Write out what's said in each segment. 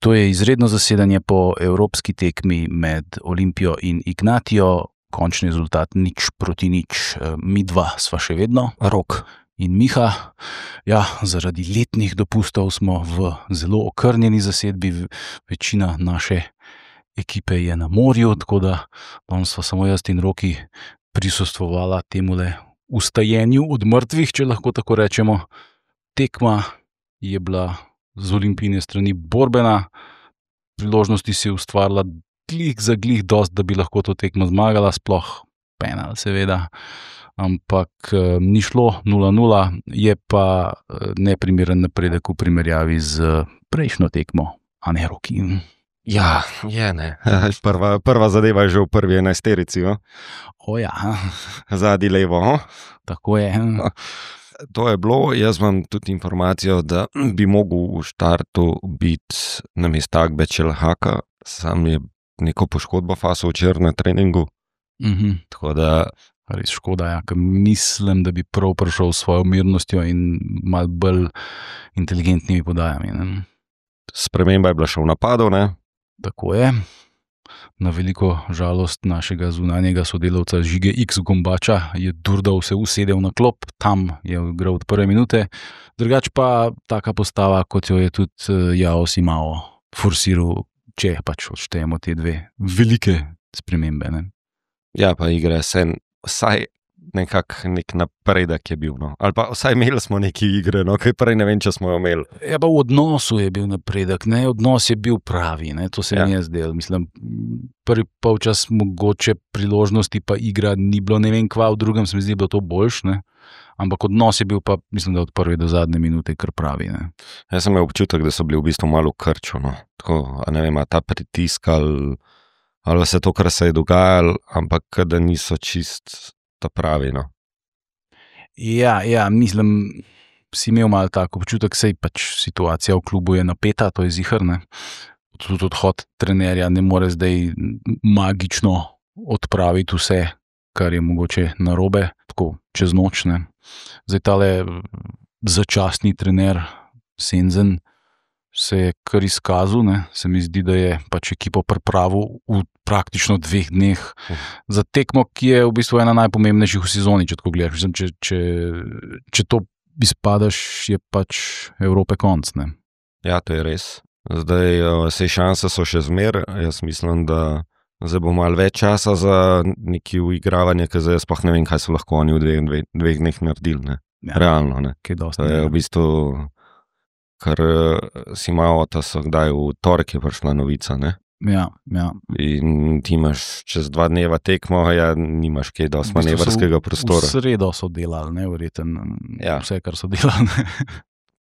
To je izredno zasedanje po evropski tekmi med Olimpijo in Ignatijo. Končni rezultat 0-0. Mi dva sva še vedno, Rok in Miha. Ja, zaradi letnih dopustov smo v zelo okrnjeni zasedbi. Večina naše ekipe je na morju, tako da danes sva samo jaz in Roki prisostvovala temule ustajenju od mrtvih, če lahko tako rečemo. Tekma je bila z Olimpijine strani borbena, priložnosti si je ustvarila glih za glih dost, da bi lahko to tekmo zmagala, sploh penal seveda, ampak ni šlo 0-0, je pa neprimeren napredek v primerjavi z prejšnjo tekmo, a ne, Roki? Ja, je ne. Prva zadeva je že v prvi 11-terici, no? O ja. Zadnji levo, no? Tako je. To je bilo, jaz imam tudi informacijo, da bi mogel v štartu biti namesto Akbečelhaka, sam je neko poškodbo faso včeraj na treningu. Tako da... Res škoda, ja, ker mislim, da bi prav prišel s svojo mirnostjo in malo bolj inteligentnimi podajami, ne? Sprememba je bila še v napadu, ne? Tako je. Na veliko žalost našega zunanjega sodelavca Žige X Gombača je Durdal se usedel na klop, tam je igral od prve minute. Drugač pa taka postava, kot jo je tudi Jao Simao forsiral, če pač odštejemo te dve velike spremembe, ne? Ja, pa igre sen, vsaj nekak nek napredek je bil, no. Ali pa vsaj imeli smo neki igre, no, kaj prej ne vem, če smo jo imeli. Ja, pa v odnosu je bil napredek, ne, odnos je bil pravi, ne, to se mi je zdelo. Mislim, prvi polčas mogoče priložnosti pa igra ni bilo ne vem kva, v drugem se mi zdi bilo to boljš, ne, ampak odnos je bil pa, mislim, da od prve do zadnje minute kar pravi, ne. Jaz sem imel občutek, da so bili v bistvu malo v krču, no, tako, a ne vem, a ta pritisk ali vse to, kar se je dogajalo, ampak da niso čist ta pravi, no. Ja, mislim, si imel malo tako občutek, sej pač situacija v klubu je napeta, to je ziher, ne. Tudi odhod trenerja ne more zdaj magično odpraviti vse, kar je mogoče narobe, tako čez noč, ne. Zdaj tale začasni trener Senzen se je kar izkazal, ne, se mi zdi, da je pač ekipo pripravil v praktično 2 dneh za tekmo, ki je v bistvu ena najpomembnejših v sezoni, če tako gledaš. Mislim, če to izpadaš, je pač Evrope konc, ne. Ja, to je res. Zdaj, sej šanse so še zmer, jaz mislim, da zdaj bo malo več časa za neki uigravanje, ker zdaj sploh ne vem, kaj so lahko oni v dveh dneh naredili, ne. Ja, realno, ne. Kaj dosti, to je v bistvu... Ker si malo, da so kdaj v torek je prišla novica, ne? Ja. In ti imaš čez 2 dneva tekmo, ja, nimaš kaj dosti manevrskega prostora. V sredo so delali, ne, verjetno, ja. Vse, kar so delali, ne.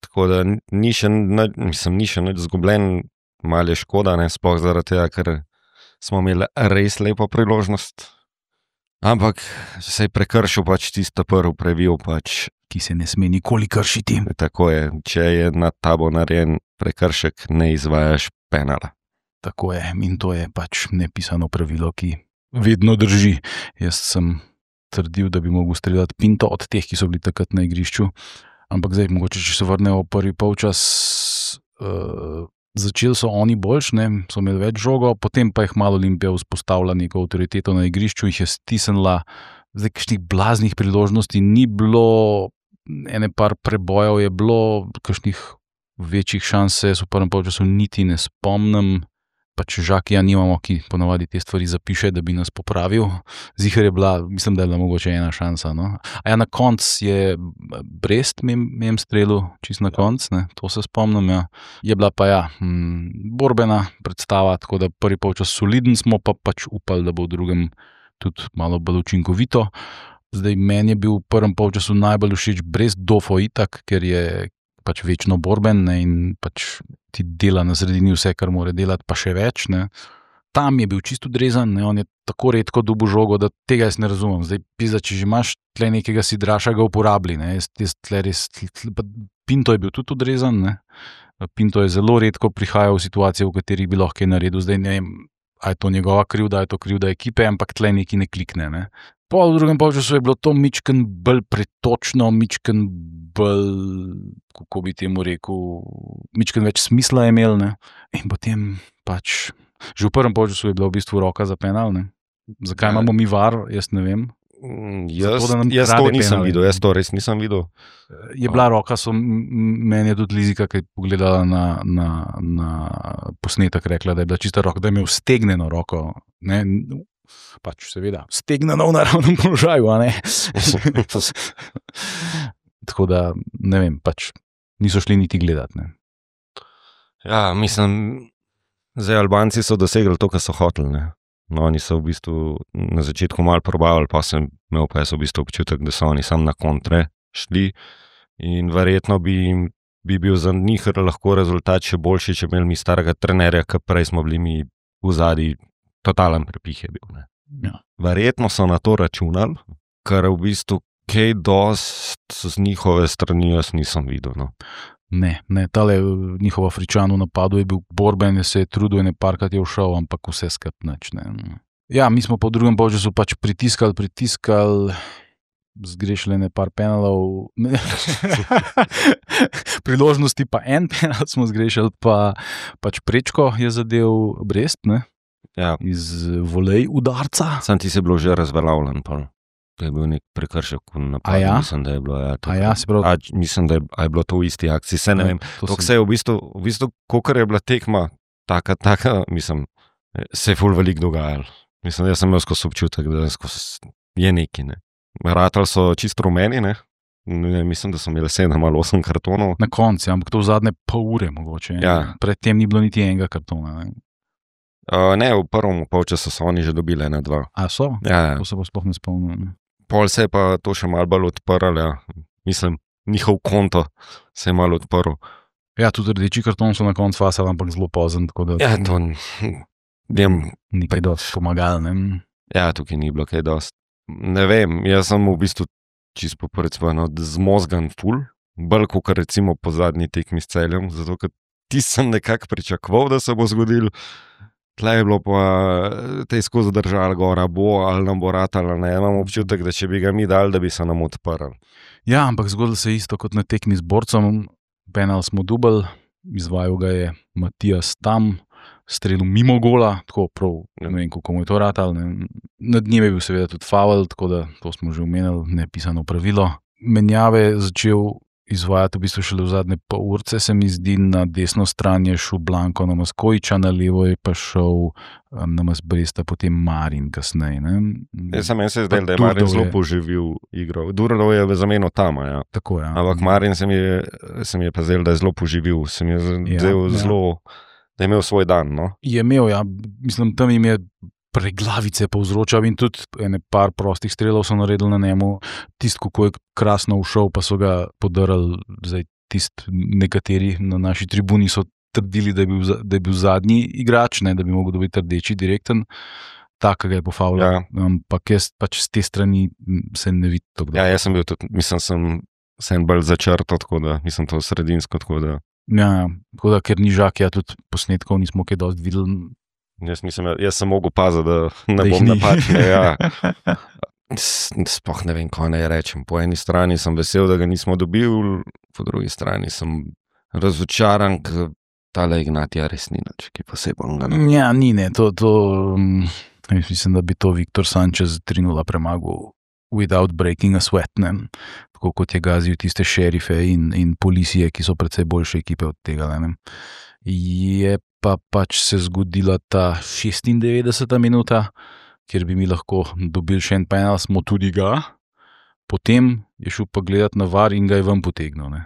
Tako da ni še nič zgubljen, malo je škoda, ne, sploh zaradi tega, ker smo imeli res lepo priložnost. Ampak se je prekršil pač tisto prvi previl, pač ki se ne sme nikoli kršiti. Tako je, če je nad tabo narejen prekršek, ne izvajaš penala. Tako je, in to je pač nepisano pravilo, ki vedno drži. Jaz sem trdil, da bi mogel streljati Pinto od teh, ki so bili takrat na igrišču, ampak zdaj mogoče, če se vrnejo v prvi polčas, začeli so oni boljš, ne, so imeli več žogo, potem pa jih malo Olimpija vzpostavila neko avtoriteto na igrišču, jih je stisnila, zdaj kakšnih blaznih priložnosti ni bilo, ene par prebojev je bilo, kakšnih večjih šans se v prvem polčasu niti ne spomnim, pač Žakija nimamo, ki ponavadi te stvari zapiše, da bi nas popravil. Ziher je bila, mislim, da je bila mogoče ena šansa, no. A ja, na konc je Brest mem strelil, čist na konc, ne, to se spomnim, ja. Je bila pa ja, borbena predstava, tako da prvi polčas soliden smo, pa pač upali, da bo v drugem tudi malo bolj učinkovito. Zdaj, meni je bil v prvem polčasu najbolj všeč Brest Dofo itak, ker je pač večno borben, ne, in pač ti dela na sredini vse, kar mora delati, pa še več, ne. Tam je bil čisto odrezan, ne, on je tako redko dobil žogo, da tega jaz ne razumem. Zdaj, pizda, če že imaš tle nekega sidraša, ga uporabi, ne, Pinto je bil tudi odrezan, ne. Pinto je zelo redko prihajal v situacije, v katerih bi lahko kaj naredil. Zdaj, ne vem, a je to njegova krivda, a je to krivda ekipe, ampak tle neki ne klikne, ne. Po v drugem polčasu je bilo to mičken bolj pretočno, mičken bolj, kako bi temu rekel, mičken več smisla imel, ne. In potem pač, že v prvem polčasu je bila v bistvu roka za penal, ne. Zakaj imamo mi VAR, jaz ne vem. Jaz Zato, da nam to krade nisem penale. videl, jaz to res nisem videl. Je bila roka, meni je tudi Lizika, ki je pogledala na posnetek, rekla, da je bila čista roka, da je imel stegnjeno roko, ne, pač seveda, stegnjeno v naravnem položaju, a ne. Tako da, ne vem, pač niso šli niti gledati, ne. Ja, mislim, zdaj Albanci so dosegli to, kar so hoteli, ne. No, oni so v bistvu na začetku malo probavali, pa sem imel pa jaz v bistvu občutek, da so oni sam na kontre šli in verjetno bi bil za njih lahko rezultat še boljši, če imeli mi starega trenerja, ker prej smo bili mi v zadnji totalen prepih je bil, ne. Ja. Verjetno so na to računali, ker v bistvu kaj dost z njihove strani jaz nisem videl, no. Ne, tale njihov Afričan v napadu je bil borben, se je trudil, ne parkrat je všel, ampak vse skup nič, ne. Ja, mi smo po drugem polčasu pač pritiskali, zgrešili par penalov, priložnosti pa en penal smo zgrešili, pa pač Prečko je zadel Brest, ne, Ja, iz volej udarca. sam ti se bilo že razveljavljen, pa to je bil nek prekršek v napadu, A ja? mislim, da je bilo, ja. A ja, se pravi, Mislim, da je bilo to v isti akciji, se ne vem. to Se je v bistvu, kolikor je bila tekma, taka, mislim, se je ful veliko dogajalo. Mislim, jaz sem imel skozi občutek, da je neki, ne. Ratali so čisto rumeni, ne. Mislim, da so imeli 7 ali 8 kartonov. na koncu, ampak to v zadnje pol ure mogoče. Ja. Predtem ni bilo niti enega kartona, ne. Ne, v prvem polčasu so oni že dobili 1-2. A so? Ja, To se pa sploh ne spomnim, ne. pol se je pa to še malo bolj odprlo, ja. Mislim, njihov konto se je malo odprl. Ja, tudi rdeči karton so na koncu fasali, ampak zelo pozen, tako da Ja, to vem, ni kaj dosti pomagal, ne. ja, tukaj ni bilo kaj dosti. Ne vem, jaz sem v bistvu čisto poprečvano zmozgan ful, bolj kot recimo po zadnji tekmi s Celjem, zato ker ti sem nekako pričakoval, da se bo zgodil. Tle je bilo pa te skozi držali gora, bo ali nam bo ratalo, ne, imam občutek, da če bi ga mi dali, da bi se nam odprl. Ja, ampak zgodilo se je isto kot na tekmi z Borcem, penal smo dubl, izvajal ga je Matijas Tam, strelil mimo gola, tako prav, ne vem, kako mu je to ratalo, ne. Nad njim je bil seveda tudi faul, tako da to smo že omenili, nepisano pravilo. Menjave je začel izvajati v bistvu šele v zadnje pol urce, se mi zdi, na desno stran je šel Blanko Namaz Kojiča, na levo je pa šel Namaz Bresta, potem Marin kasneje, ne. Meni se je zdelo, da je Durdov Marin zelo je- poživil igro. Durdov je zamenjal Tama, ja. Tako, ja. Ampak Marin se mi je pa zdel, da je zelo poživil, se mi je zdel zelo, da je imel svoj dan, no. Je imel, ja, mislim, tam jim je preglavice povzročal in tudi ene par prostih strelov so naredili na njemu, tisti, kako je krasno ušel, pa so ga podarali, zdaj tisti nekateri na naši tribuni so trdili, da je bil zadnji igrač, ne, da bi mogel dobiti rdeči direkten, tak ga je pofavljal, Ja. ampak jaz pač z te strani se ne vidi tako. Ja, jaz sem bil tudi, mislim, sem bolj začrtal, tako da, mislim, to sredinsko, tako da. Ja, tako da, ker ni žak, ja, tudi posnetkov nismo kaj dosti videli. Jaz sem mogel paziti, da ne Da jih bom ni. napačen. Ja. Sploh ne vem, kaj naj rečem. Po eni strani sem vesel, da ga nismo dobili, po drugi strani sem razočaran, ker tale Ignatija res ni nič, ki posebnega. Ja, ni, ne, jaz mislim, da bi to Viktor Sanchez 3-0 premagal without breaking a sweat, ne, tako kot je gazil tiste šerife in policije, ki so precej boljše ekipe od tega, ne. Je pa pač se zgodila ta 96. minuta, kjer bi mi lahko dobili še en penal, smo tudi ga, potem je šel pa gledati na VAR in ga je ven potegnil, ne.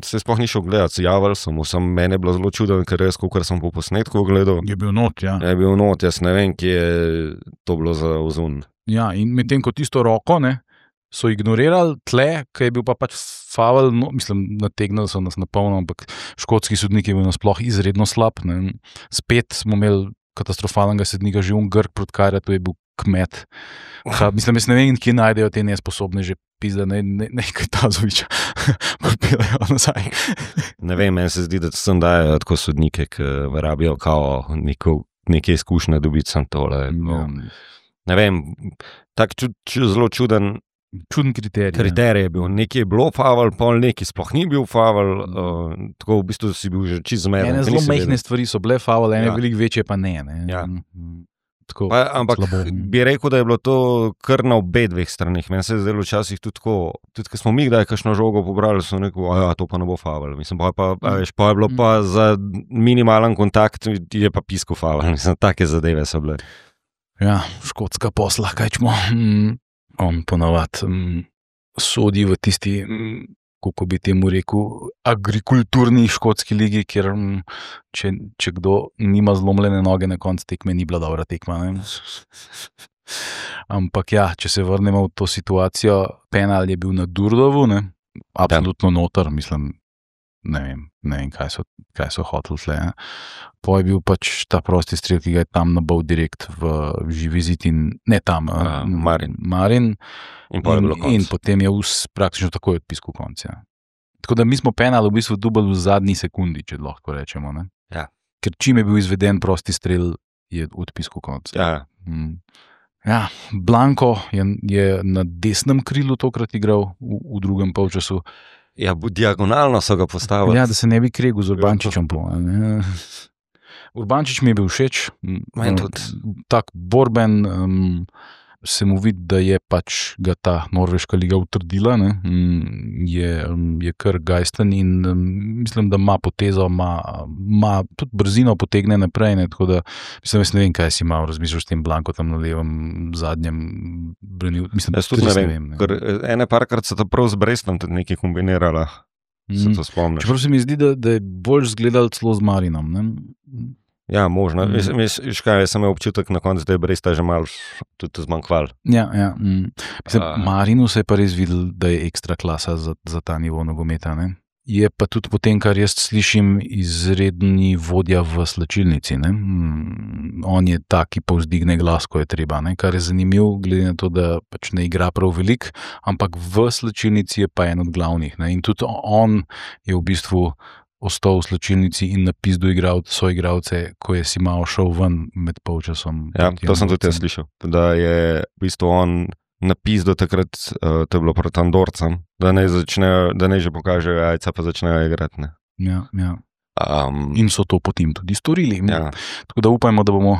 Se sploh ni šel gledati, javil sem mu, meni je bilo zelo čudno, ker jaz, kolikor sem po posnetku gledal, Je bil not, ja. je bil not, jaz ne vem, kje je to bilo za ozun. Ja, in medtem ko tisto roko, ne, so ignorirali tle, ker je bil pa pač faul, no, mislim, nategnili so nas na polno, ampak škotski sodnik je bil nasploh izredno slab, ne. Spet smo imeli katastrofalnega sodnika, že Grk proti Kajra, to je bil Kmet. Mislim, jaz ne vem, kje najdejo te nesposobne že pizda, nekaj Tazoviča pripeljajo nazaj. Ne vem, meni se zdi, da sem dajo tako sodnike, ki rabijo kao neke izkušnje dobiti sem tole. No. Ne vem, tak zelo čuden Čuden kriterij. Kriterij je bil, nekaj je bilo faul, pol nekaj sploh ni bil faul, tako v bistvu si bil že čist zmeden. Ene zelo majhne stvari so bile faul, ene veliko večje pa ne. Ja. Tako, ampak bi rekel, da je bilo to kar na obe dveh stranih. Meni se je zdelo včasih tudi tako, tudi ko smo mi kdaj kakšno žogo pobrali, so rekel, to pa ne bo faul. Mislim, pa je bilo pa za minimalen kontakt, je pa pisko faul. Mislim, take zadeve so bile. Ja, škotska posla, kaj čmo. On ponavadi sodi v tisti, kako bi temu rekel, agrikulturni škotski ligi, kjer če kdo nima zlomljene noge na koncu tekme, ni bila dobra tekma. Ne? Ampak ja, če se vrnemo v to situacijo, penal je bil na Durdovu, ne? Absolutno noter, mislim, ne vem kaj so hoteli tle. Po je bil pač ta prosti strel, ki ga je tam nabal direkt v živi zid in ne tam, Marin. In potem je praktično takoj odpiskal konc. Ja. Tako da mi smo penal v bistvu dubali v zadnji sekundi, če lahko rečemo. Ne? Ja. Ker čim je bil izveden prosti strel, je odpiskal konc. Ja. Ja, Blanko je na desnem krilu tokrat igral v drugem polčasu. Ja, diagonalno so ga postavili. Ja, da se ne bi kregel z Urbančičem. Urbančič mi je bil všeč. Tak borben, se mu vidi, da je pač ga ta norveška liga utrdila. Je kar gajsten in mislim, da ima potezo, ima tudi brzino potegne naprej. Ne, tako da, mislim, jaz ne vem, kaj si imel razmišljal s tem Blanko tam na levem zadnjem branil. Mislim, jaz tudi ne vem. Ene parkrat so to prav z Brestom tudi nekaj kombinirala. Se to spomniš. Čeprav se mi zdi, da je bolj zgledal celo z Marinom. Ne? Ja, možno. Jaz sem imel občutek na koncu, da je Bresta že malo tudi zmanjkval. Ja. Mislim, Marinu se je pa res videl, da je ekstra klasa za ta nivo nogometa. Ne? Je pa tudi potem, kar jaz slišim, izredni vodja v slačilnici. Ne? On je ta, ki povzdigne glas, ko je treba. Ne? Kar je zanimivo, glede na to, da pač ne igra prav veliko, ampak v slačilnici je pa en od glavnih. Ne? In tudi on je v bistvu ostal v slačilnici in napizdu igral svoje igralce, ko je si malo šel ven med polčasom. Ja, to sem tudi jaz slišal. Da je v bistvu on napizdu takrat, to je bilo proti Andorcem, da ne že pokažejo jajca, pa začnejo igrati. Ne? Ja. In so to potem tudi storili. Ja. Tako da upajmo, da bomo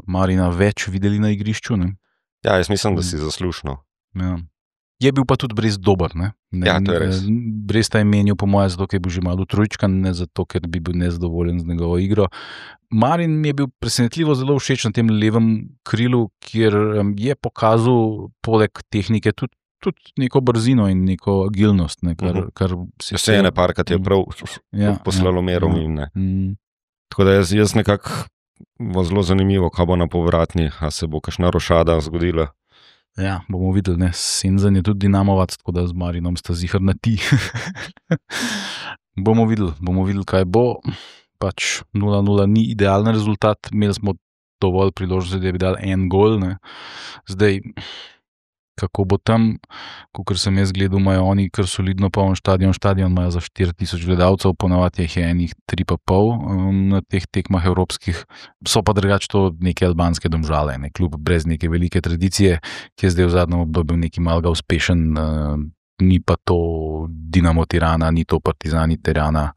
Marina več videli na igrišču. Ne? Ja, jaz mislim, da si zaslužno. Ja. Je bil pa tudi Brest dober. Ja, to je res. Bresta je menil, po mojem, zato, ker je bil že malo trojčkan, ne zato, ker bi bil nezadovoljen z njegovo igro. Marin mi je bil presenetljivo zelo všeč na tem levem krilu, kjer je pokazal poleg tehnike tudi neko brzino in neko agilnost. Ne, kar vse ene parkrat je prav poslalomerom. Tako da jaz nekako bo zelo zanimivo, kaj bo na povratni, a se bo kakšna rošada zgodila. Ja, bomo videli, Senzan je tudi dinamovac, tako da z Marinom sta zihar na ti. bomo videli, kaj bo. Pač 0-0 ni idealen rezultat, imeli smo dovolj priložnosti, da bi dali en gol. Ne. Zdaj, kako bo tam, kakor sem jaz gledal, imajo oni kar solidno poln štadion imajo za 4000 gledalcev, ponavadi je enih 3,5 na teh tekmah evropskih. So pa drugače to neke albanske Domžale, ne, klub brez neke velike tradicije, ki je zdaj v zadnjem obdobju neki malga uspešen, ni pa to Dinamo Tirana, ni to Partizani Tirana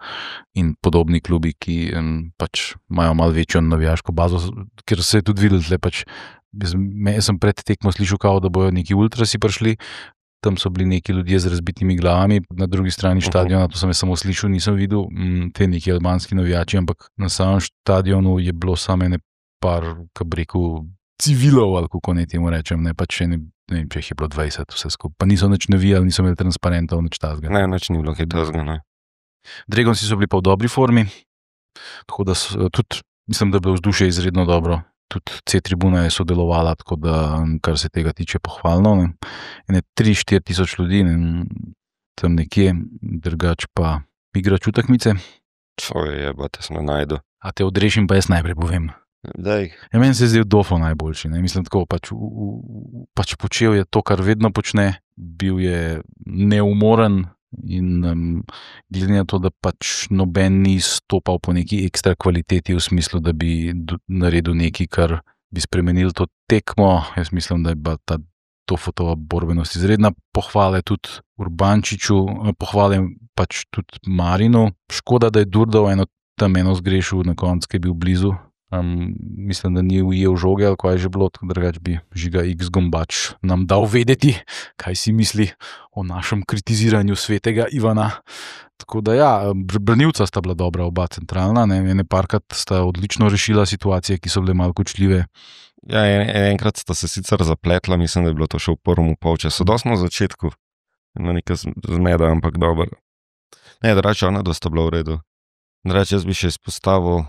in podobni klubi, ki pač imajo malo večjo navijaško bazo, ker se je tudi videl tle pač. Jaz sem pred tekmo slišal, kao, da bojo neki ultrasi prišli, tam so bili neki ljudje z razbitimi glavami, na drugi strani štadiona, to sem jaz samo slišal, nisem videl te neki albanski navijači, ampak na samem štadionu je bilo samo ene par, kako bi rekel, civilov, ali kako ne temu rečem, ne, pač ne vem, če jih je bilo 20 vse skupaj, pa niso nič navijali, niso imeli transparentov, nič tazga. Ne, nič ni bilo kaj tazga, ne. Dragonsi so bili pa v dobri formi, tako da tudi, mislim, da je bilo vzdušje izredno dobro. Tudi C-tribuna je sodelovala, tako da, kar se tega tiče, pohvalno. Ne. 3-4 tisoč ljudi, ne, tam nekje, drugač pa igrač v tekmice. Jebate, se ne najdu. A te odrešim, pa jaz najprej povem. Daj. Ja, meni se je zdel Dofo najboljši. Ne. Mislim, tako, pač počel je to, kar vedno počne, bil je neumoren in glede na to, da pač noben ni stopal po neki ekstra kvaliteti v smislu, da bi naredil nekaj, kar bi spremenil to tekmo. Jaz mislim, da je bila ta Tofotova borbenost izredna, pohvale tudi Urbančiču, pohvale pač tudi Marinu. Škoda, da je Durdov eno zgrešil na koncu, ki je bil blizu. Mislim, da ni ujel žoge, ali kaj je že bilo, drugače bi Žiga X Gombač nam dal vedeti, kaj si misli o našem kritiziranju svetega Ivana. Tako da ja, branilca sta bila dobra, oba centralna, ne, ene parkrat sta odlično rešila situacije, ki so bile malo kočljive. Ja, enkrat sta se sicer zapletla, mislim, da je bilo to še v prvem polčasu, dosti na začetku, na nekaj zmeda, ampak dobro. Ne, drugače ona dosta bila v redu. Drugače jaz bi še izpostavil,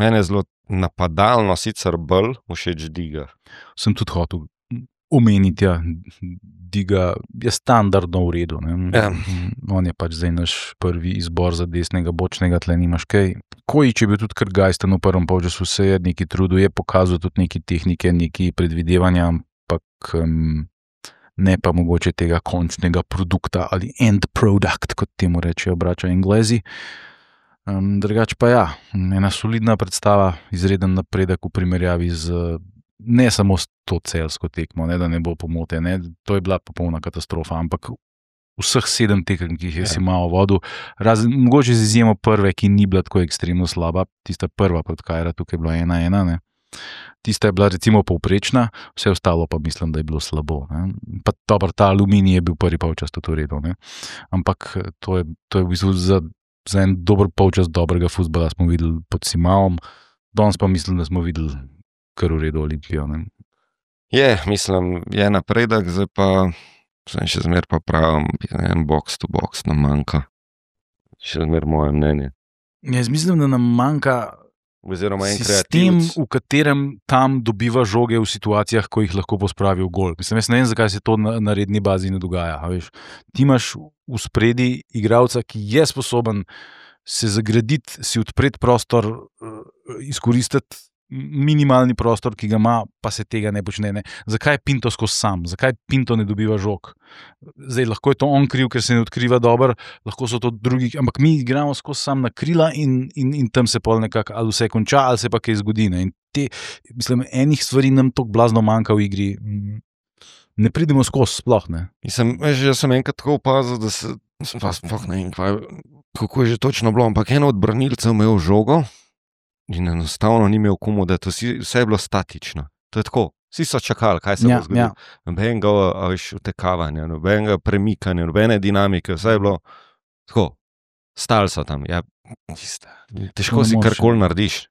mene je zelo napadalno sicer bolj všeč Diga. Sem tudi hotel omeniti, ja, Diga je standardno v redu. Ne? Ja. On je pač zdaj naš prvi izbor za desnega bočnega, tle nimaš kaj. Kojič je bil tudi kar gajsten v prvem polčasu, se je neki trudil, je pokazal tudi neki tehnike, neki predvidevanja, ampak ne pa mogoče tega končnega produkta ali end product, kot temu rečejo braća Englezi. Drugače pa ja, ena solidna predstava, izreden napredek v primerjavi z ne samo s to celsko tekmo, ne, da ne bo pomote, ne, to je bila popolna katastrofa, ampak vseh 7 tekem, ki jih je si malo vodil, mogoče z izjemo prve, ki ni bila tako ekstremno slaba, tista prva proti Kajra, tukaj je bila 1-1, ne. Tista je bila recimo povprečna, vse ostalo pa mislim, da je bilo slabo. Ne. Pa dobro, ta Aluminij je bil prvi polčas tudi v redu, ne. Ampak to je v bistvu za en dober polčas dobrega fuzbala smo videli pod Simavom, danes pa mislim, da smo videli kar v redu Olimpijo. Ne. Mislim, je napredek, zdaj pa sem še zmer pa pravim, en box to box nam manjka. Še zmer moje mnenje. Jaz mislim, da nam manjka oziroma en sistem, kreativc, v katerem tam dobiva žoge v situacijah, ko jih lahko pospravi v gol. Mislim, jaz ne vem, zakaj se to na redni bazi ne dogaja. A veš, ti imaš v spredi igralca, ki je sposoben se zagraditi, si odpreti prostor, izkoristiti minimalni prostor, ki ga ima, pa se tega ne počne. Ne. Zakaj je Pinto skozi sam? Zakaj Pinto ne dobiva žog? Zdaj, lahko je to on kriv, ker se ne odkriva dobro, lahko so to drugi, ampak mi igramo skozi sam na krila in tam se pol nekako ali vse konča, ali se pa kaj zgodi. Ne. In mislim, enih stvari nam toliko blazno manjka v igri. Ne pridemo skozi sploh, ne. Mislim, jaz sem enkrat tako opazil, da se, sploh ne vem, kako je že točno bilo, ampak eno od branilcev imel žogo, in enostavno ni imel komu, da to vse je bilo statično. To je tako, vsi so čakali, kaj se bo zgodilo. Nobenega utekavanja, nobenega premikanja, nobene dinamike, vse je bilo tako, stali so tam. Ja, težko si karkoli narediš.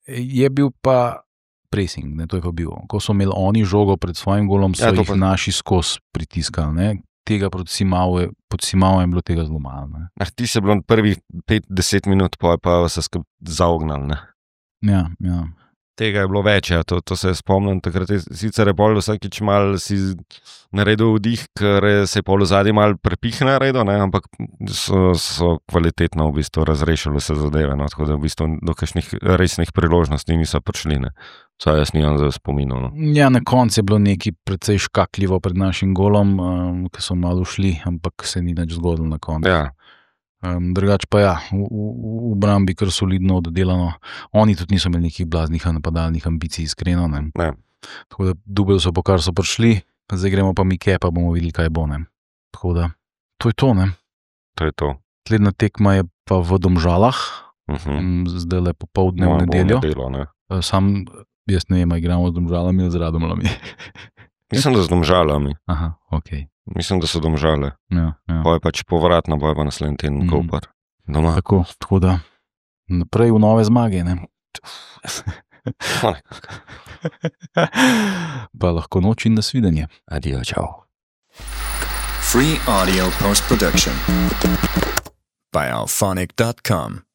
Je bil pa pressing, ne, to je pa bil. Ko so imeli oni žogo pred svojim golom, so jih naši skozi pritiskali, ne. Tega pod Simavom je bilo tega zelo malo. Ti se bilo prvih 5-10 minut, pa se zaognal. Ne? Ja. Tega je bilo več, ja. To se spomnim. Takrat je sicer pol vsakič malo si naredil vdih, ker se je pol zadnji malo prepih naredil, ne? Ampak so kvalitetno v bistvu razrešili se zadeve, no? Tako da v bistvu do kakšnih resnih priložnosti niso prišli. Ne? Saj jaz nimam za spominov. No. Ja, na koncu je bilo nekaj precej škakljivo pred našim golom, ki so malo šli, ampak se ni nič zgodilo na koncu. Ja. Drugače pa ja, v obrambi kar solidno oddelano. Oni tudi niso imeli nekih blaznih napadalnih ambicij, iskreno. Ne. Tako da dubel so po kar so prišli, zdaj gremo pa Mike, pa bomo videli, kaj bo. Ne. Tako da, to je to. Ne. To je to. Slednja tekma je pa v Domžalah, zdaj le popoldne v nedeljo. Sam, jaz ne vem, igramo z Domžalami ali z Radomljami. Mislim, da z Domžalami. Aha, okej. Mislim, da so Domžale. Ja. Boje pač povratno, boje pa naslednji teden Koper. Doma. Tako da naprej v nove zmage, ne? Pa lahko noč in nasvidenje. Adijo, čau. Free audio post-production by alphonic.com